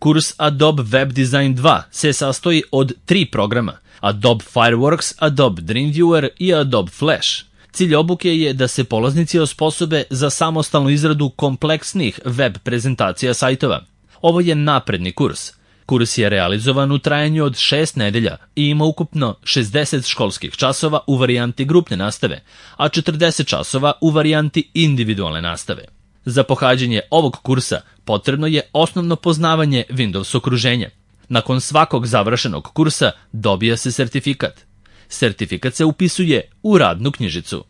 Kurs Adobe Web Design 2 se sastoji od 3 programa: Adobe Fireworks, Adobe Dreamviewer i Adobe Flash. Cilj obuke je da se polaznici osposobe za samostalnu izradu kompleksnih web prezentacija sajtova. Ovo je napredni kurs. Kurs je realizovan u trajanju od 6 nedelja i ima ukupno 60 školskih časova u varijanti grupne nastave, a 40 časova u varijanti individualne nastave. Za pohađanje ovog kursa potrebno je osnovno poznavanje Windows okruženja. Nakon svakog završenog kursa dobija se sertifikat. Sertifikat se upisuje u radnu knjižicu.